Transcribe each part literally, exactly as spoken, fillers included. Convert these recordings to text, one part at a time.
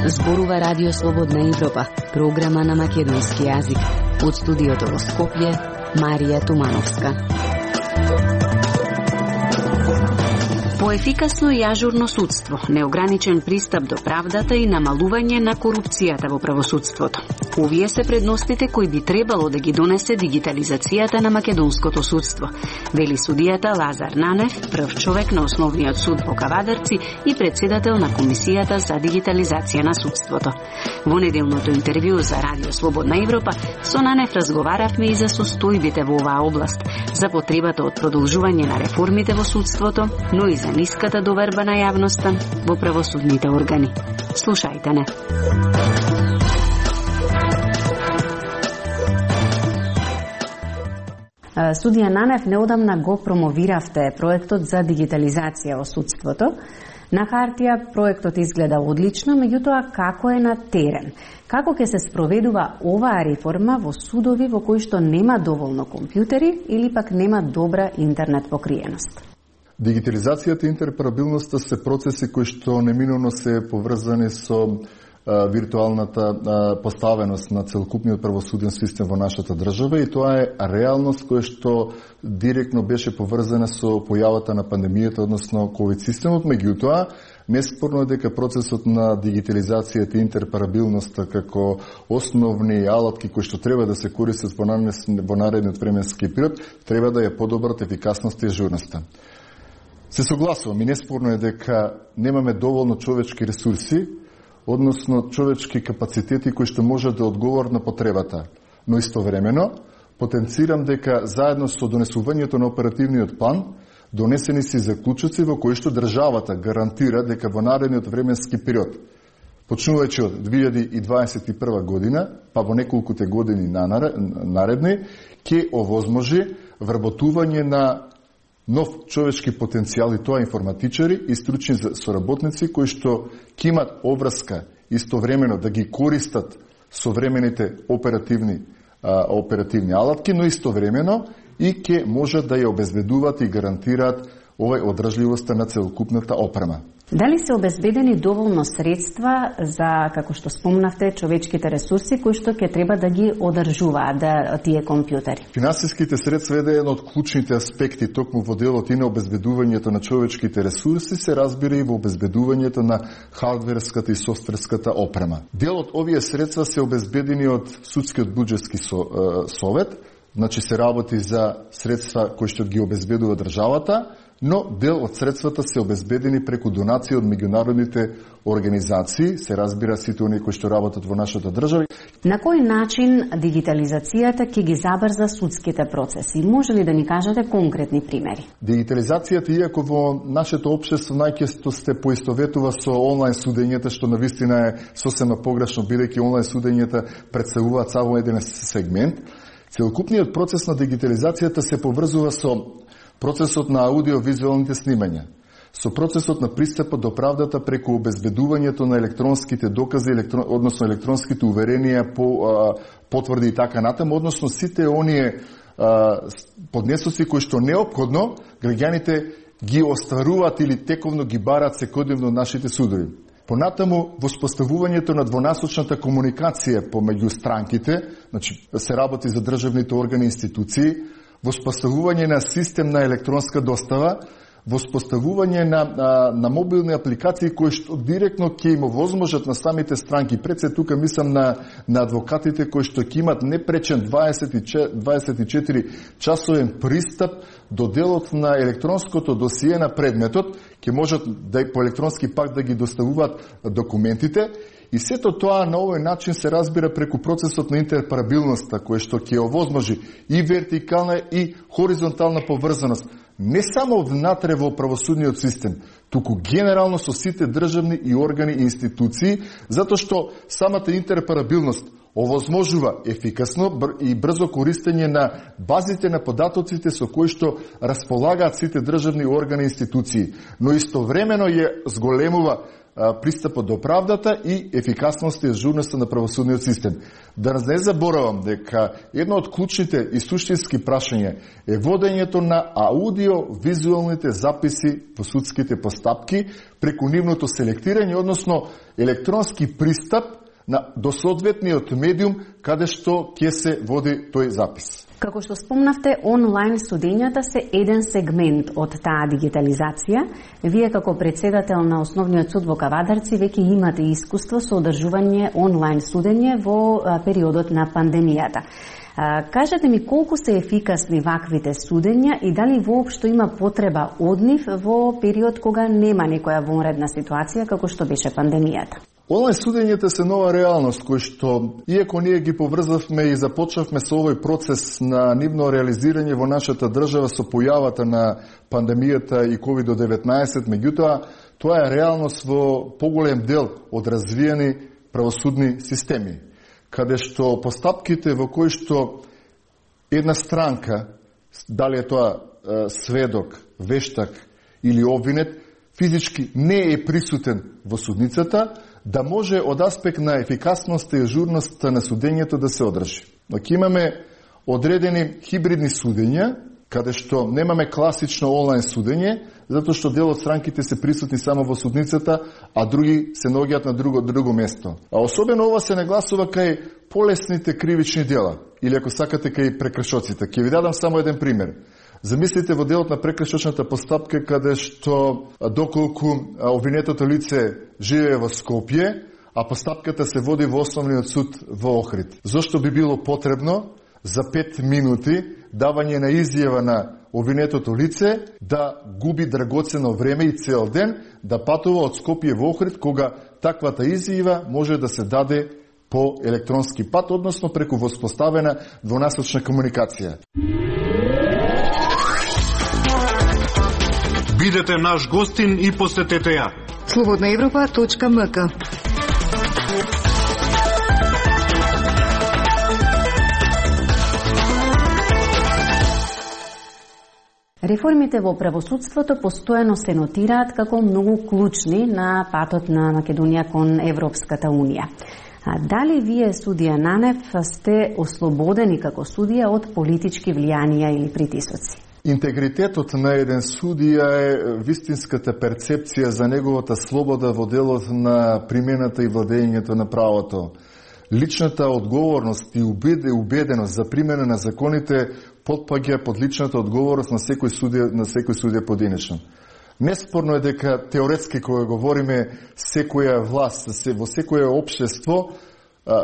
Зборува Радио Слободна Европа, програма на македонски јазик. Од студиото во Скопје, Марија Тумановска. Поефикасно и ажурно судство, неограничен пристап до правдата и намалување на корупцијата во правосудството. Овие се предностите кои би требало да ги донесе дигитализацијата на македонското судство, вели судијата Лазар Нанев, прв човек на Основниот суд во Кавадарци и председател на Комисијата за дигитализација на судството. Во неделното интервју за Радио Слободна Европа со Нанев разговаравме и за состојбите во оваа област, за потребата од продолжување на реформите во судството, но и за ниската доверба на јавноста во правосудните органи. Слушајте не. Судија Нанев, неодамна го промовиравте проектот за дигитализација во судството. На хартија проектот изгледа одлично, меѓутоа како е на терен? Како ќе се спроведува оваа реформа во судови во кои што нема доволно компјутери или пак нема добра интернет покриеност? Дигитализацијата и интероперабилноста се процеси кои што неминовно се поврзани со а, виртуалната а, поставеност на целокупниот правосуден систем во нашата држава, и тоа е реалност која што директно беше поврзана со појавата на пандемијата, односно ковид системот. Меѓутоа, неспорно е дека процесот на дигитализацијата и интероперабилноста како основни алатки кои што треба да се користат во наредниот временски период, треба да ја подобрат ефикасноста и ажурноста. Се согласувам и неспорно е дека немаме доволно човечки ресурси, односно човечки капацитети кои што можат да одговорат на потребата. Но истовремено потенцирам дека заедно со донесувањето на оперативниот план донесени се заклучоци во кои што државата гарантира дека во наредниот временски период, почнувајќи од две илјади и дваесет и прва година, па во неколкуте години наредни, ќе овозможи вработување на нов човечки потенцијал, и тоа информатичари и стручни соработници кои што ќе имат обврска истовремено да ги користат современите оперативни а, оперативни алатки, но истовремено и ќе можат да ја обезбедуваат и гарантираат овај одржливоста на целокупната опрема. Дали се обезбедени доволно средства за, како што спомнавте, човечките ресурси кои што ќе треба да ги одржуваат да, тие компјутери? Финансиските средства е еден од клучните аспекти токму во делот и на обезбедувањето на човечките ресурси, се разбира и во обезбедувањето на хардверската и софтверската опрема. Дел од овие средства се обезбедени од судскиот буџетски совет, значи се работи за средства кои што ги обезбедува државата, но дел од средствата се обезбедени преку донации од меѓународните организации, се разбира сите оние кои што работат во нашата држава. На кој начин дигитализацијата ќе ги забрза судските процеси? Може ли да ни кажете конкретни примери? Дигитализацијата, иако во нашето општество најчесто се поистоветува со онлайн судењата, што навистина е сосема погрешно, бидејќи онлайн судењата претставуваат само еден сегмент, целокупниот процес на дигитализацијата се поврзува со процесот на аудиовизуалните снимања, со процесот на пристапот до правдата преку обезбедувањето на електронските докази, електрон, односно електронските уверенија по а, потврди и така натаму, односно сите оние а, поднесоци кои што неопходно граѓаните ги остваруваат или тековно ги бараат секојдневно нашите судови. Понатаму, воспоставувањето на двонасочната комуникација помеѓу странките, значи се работи за државните органи и институции, воспоставување на систем на електронска достава, воспоставување на, на, на мобилни апликации кои што директно ќе им овозможат на самите странки. Пред се тука мислам на, на адвокатите кои што ќе имат непречен дваесет и четири часовен пристап до делот на електронското досие на предметот, ќе можат да по електронски пак да ги доставуваат документите. И сето тоа на овој начин се разбира преку процесот на интероперабилноста, кој што ќе овозможи и вертикална и хоризонтална поврзаност, не само внатре во правосудниот систем, туку генерално со сите државни и органи и институции, затоа што самата интероперабилност овозможува ефикасно и брзо користење на базите на податоците со кои што располагаат сите државни органи и институции, но истовремено ја зголемува пристапот до правдата и ефикасноста и ажурноста на правосудниот систем. Да не заборавам дека едно од клучните и суштински прашања е водењето на аудио-визуалните записи во судските постапки преку нивното селектирање, односно електронски пристап на до соодветниот медиум каде што ќе се води тој запис. Како што спомнавте, онлайн судењата се еден сегмент од таа дигитализација. Вие како председател на Основниот суд во Кавадарци веќе имате искуство со одржување онлайн судење во периодот на пандемијата. Кажете ми колку се ефикасни ваквите судења и дали воопшто има потреба од нив во период кога нема некоја вонредна ситуација како што беше пандемијата? Онлайн судењата се нова реалност кој што, иако ние ги поврзавме и започнавме со овој процес на нивно реализирање во нашата држава со појавата на пандемијата и ковид деветнаесет, меѓутоа тоа е реалност во поголем дел од развиени правосудни системи, каде што постапките во кои што една странка, дали е тоа е, сведок, вештак или обвинет, физички не е присутен во судницата, да може од аспект на ефикасноста и ажурноста на судењето да се одржи. Но ќе имаме одредени хибридни судења, каде што немаме класично онлайн судење, затоа што дел од странките се присутни само во судницата, а други се наоѓаат на друго друго место. А особено ова се нагласува кај полесните кривични дела, или ако сакате кај прекршоците. Ќе ви дадам само еден пример. Замислите во делот на прекршочната постапка каде што доколку обвинетото лице живее во Скопје, а постапката се води во Основниот суд во Охрид. Зошто би било потребно за пет минути давање на изјава на обвинетото лице да губи драгоцено време и цел ден да патува од Скопје во Охрид, кога таквата изјава може да се даде по електронски пат, односно преку воспоставена двонасочна комуникација. Бидете наш гостин и посетете ја. слободна европа точка ем ка. Реформите во правосудството постојано се нотираат како многу клучни на патот на Македонија кон Европската Унија. А дали вие, судија Нанев, сте ослободени како судија од политички влијанија или притисоци? Интегритетот на еден судија е вистинската перцепција за неговата слобода во делот на примената и владењето на правото. Личната одговорност и убеденост за примена на законите потпаѓа под личната одговорност на секој судија, на секој судија поединечно. Неспорно е дека теоретски кога говориме секоја власт, во секое општество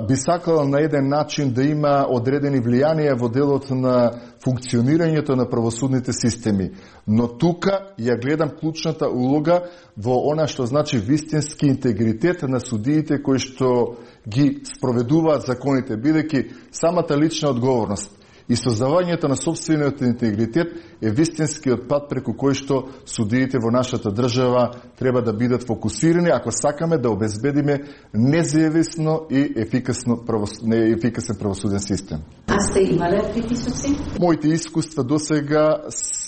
би сакала на еден начин да има одредени влијанија во делот на функционирањето на правосудните системи. Но тука ја гледам клучната улога во она што значи вистински интегритет на судиите кои што ги спроведуваат законите, бидејќи самата лична одговорност и создавањето на собствениот интегритет е вистинскиот пат преку кој што судиите во нашата држава треба да бидат фокусирани ако сакаме да обезбедиме независно и ефикасно правос... ефикасен правосуден систем. А сте имале притисоци? Моите искуства досега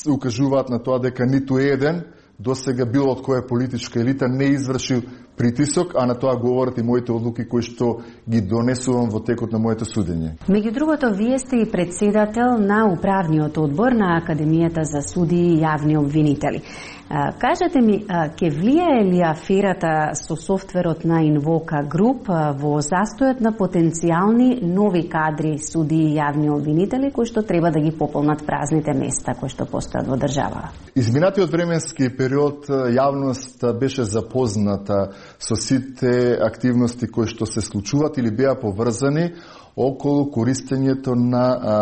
укажуваат на тоа дека ниту еден досега било од која политичка елита не извршил притисок, а на тоа говорат и моите одлуки кои што ги донесувам во текот на моето судење. Меѓу другото, вие сте и председател на управниот одбор на Академијата за судии и јавни обвинители. Кажете ми, ќе влијае ли аферата со софтверот на Инвока Груп во застојот на потенцијални нови кадри судии и јавни обвинители кои што треба да ги пополнат празните места кои што постојат во држава? Изминатиот временски период јавноста беше запозната со сите активности кои што се случуваат или беа поврзани околу користењето на а,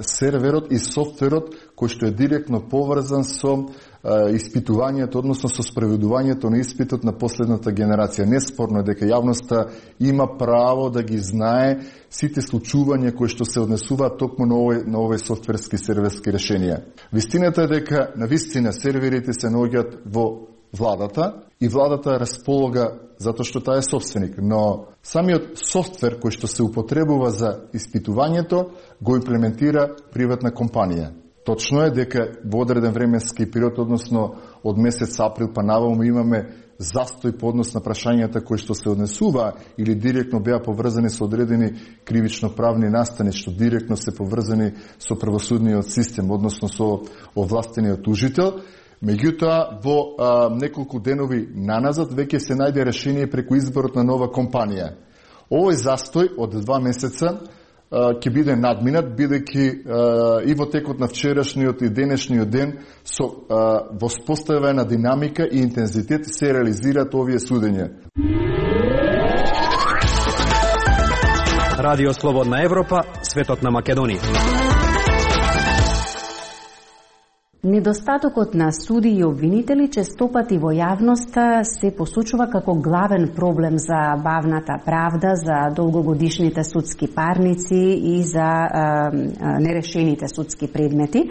серверот и софтверот кој што е директно поврзан со а, испитувањето, односно со спроведувањето на испитот на последната генерација. Неспорно е дека јавноста има право да ги знае сите случувања кои што се однесуваат токму на овој, на овој софтверски серверски решенија. Вистината е дека на вистина серверите се наоѓаат во владата и владата располага затоа што таа е собственик, но самиот софтвер кој што се употребува за испитувањето го имплементира приватна компанија. Точно е дека во одреден временски период, односно од месец април па наваму имаме застој по однос на прашањата кои што се однесува или директно беа поврзани со одредени кривично-правни настани, што директно се поврзани со правосудниот систем, односно со овластениот тужител. Меѓутоа, во а, неколку денови наназад веќе се најде решение преку изборот на нова компанија. Овој застој од два месеца ќе биде надминат, бидејќи и во текот на вчерашниот и денешниот ден со воспоставена динамика и интензитет се реализираат овие судења. Радио Слободна Европа, светот на Македонија. Недостатокот на суди и обвинители честопати во јавноста се посочува како главен проблем за бавната правда, за долгогодишните судски парници и за а, а, нерешените судски предмети.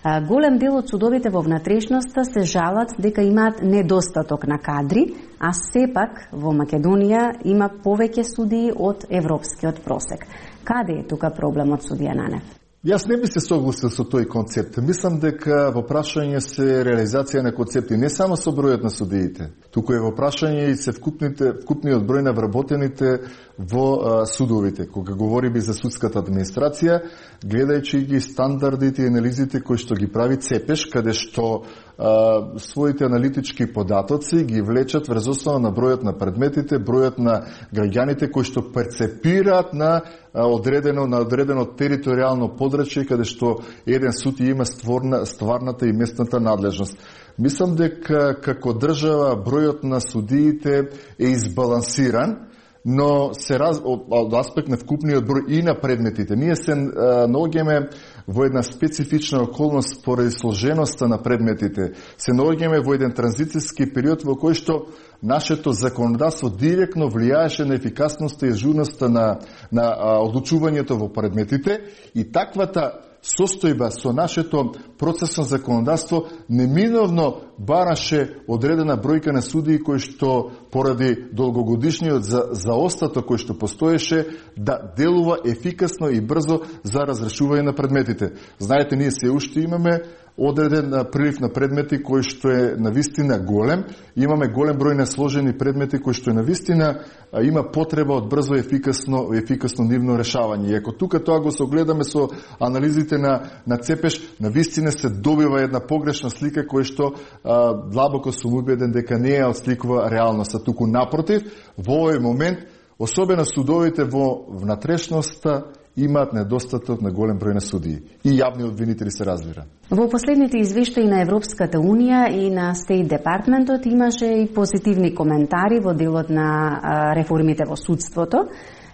А, голем дел од судовите во внатрешноста се жалат дека имаат недостаток на кадри, а сепак во Македонија има повеќе судии од европскиот просек. Каде е тука проблемот, судија Нанев? Јас не би се согласил со тој концепт. Мислам дека во прашање се реализација на концепти не само со бројот на судиите, туку е во прашање и се вкупните, вкупниот број на вработените во а, судовите. Кога говориме за судската администрација, гледајќи ги стандардите и анализите кои што ги прави ЦЕПЕШ, каде што а, своите аналитички податоци ги влечат врз основа на бројот на предметите, бројот на граѓаните кои што перцепираат на одредено на одредено територијално подрачје каде што еден суд има створна, стварната и местната надлежност. Мислам дека како држава бројот на судиите е избалансиран, но се раз, од аспект на вкупниот број и на предметите. Ние се наоѓаме во една специфична околност поради сложеноста на предметите. Се наоѓаме во еден транзицијски период во кој што нашето законодавство директно влијаеше на ефикасноста и ажурноста на, на а, одлучувањето во предметите и таквата состојба со нашето процесно законодавство неминовно бараше одредена бројка на судии кои што поради долгогодишниот за, заостаток кој што постоеше да делува ефикасно и брзо за разрешување на предметите. Знаете, ние се уште имаме одреден прилив на предмети кој што е навистина голем. Имаме голем број на сложени предмети кои што е навистина има потреба од брзо ефикасно ефикасно нивно решавање. И ако тука тоа го согледаме со анализите на на ЦЕПЕШ, навистина се добива една погрешна слика која што а, длабоко сум убеден дека не ја отсликува реалноста, туку напротив, во овој момент особено судовите во внатрешноста имаат недостаток на голем број на судии и јавни обвинители се разбира. Во последните извештаи на Европската Унија и на Стейт Департментот имаше и позитивни коментари во делот на реформите во судството,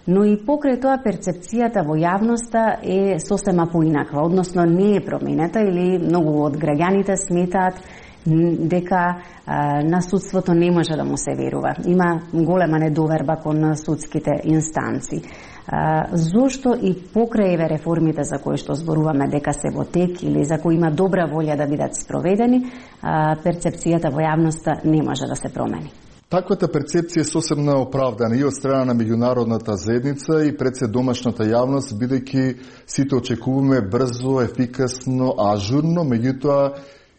но и покрај тоа перцепцијата во јавноста е сосема поинаква, односно не е променета или многу од граѓаните сметаат дека а, на судството не може да му се верува. Има голема недоверба кон судските инстанци. А, зошто и покрај еве реформите за кои што зборуваме дека се во тек или за кои има добра волја да бидат спроведени, а, перцепцијата во јавноста не може да се промени? Таквата перцепција е сосемно оправдана и од страна на меѓународната заедница и пред се домашната јавност, бидејќи сите очекуваме брзо, ефикасно, ажурно, меѓутоа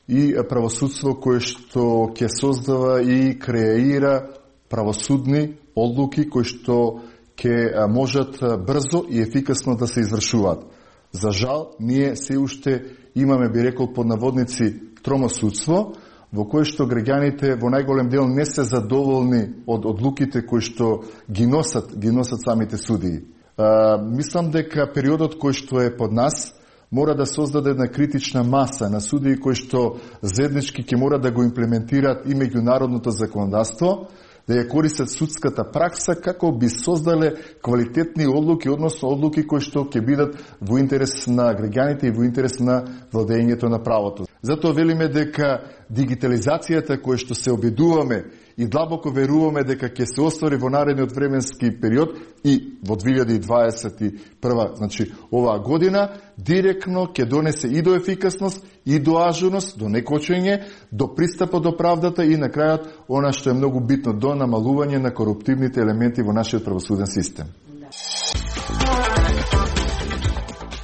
и правосудство кое што ќе создава и креира правосудни одлуки кои што ќе можат брзо и ефикасно да се извршуваат. За жал, ние се уште имаме, би рекол под наводници, тромо судство, во кое што граѓаните во најголем дел не се задоволни од одлуките кои што ги носат, ги носат самите судии. А, мислам дека периодот кој што е под нас мора да создаде една критична маса на судии кои што заеднички ќе мора да го имплементираат и меѓународното законодавство, да ја користат судската пракса како би создале квалитетни одлуки, односно одлуки кои што ќе бидат во интерес на граѓаните и во интерес на владењето на правото. Затоа велиме дека дигитализацијата која што се обидуваме и длабоко веруваме дека ќе се оствари во наредниот временски период и во две илјади дваесет и прва, значи оваа година, директно ќе донесе и до ефикасност, и до ажурност, до некочење, до пристапот до правдата и на крајот она што е многу битно, до намалување на коруптивните елементи во нашиот правосуден систем.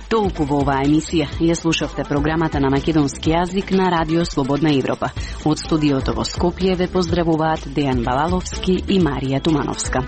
Толку во оваа емисија. Ја слушавте програмата на македонски јазик на Радио Слободна Европа. Од студиото во Скопје ве поздравуваат Дејан Балаловски и Марија Тумановска.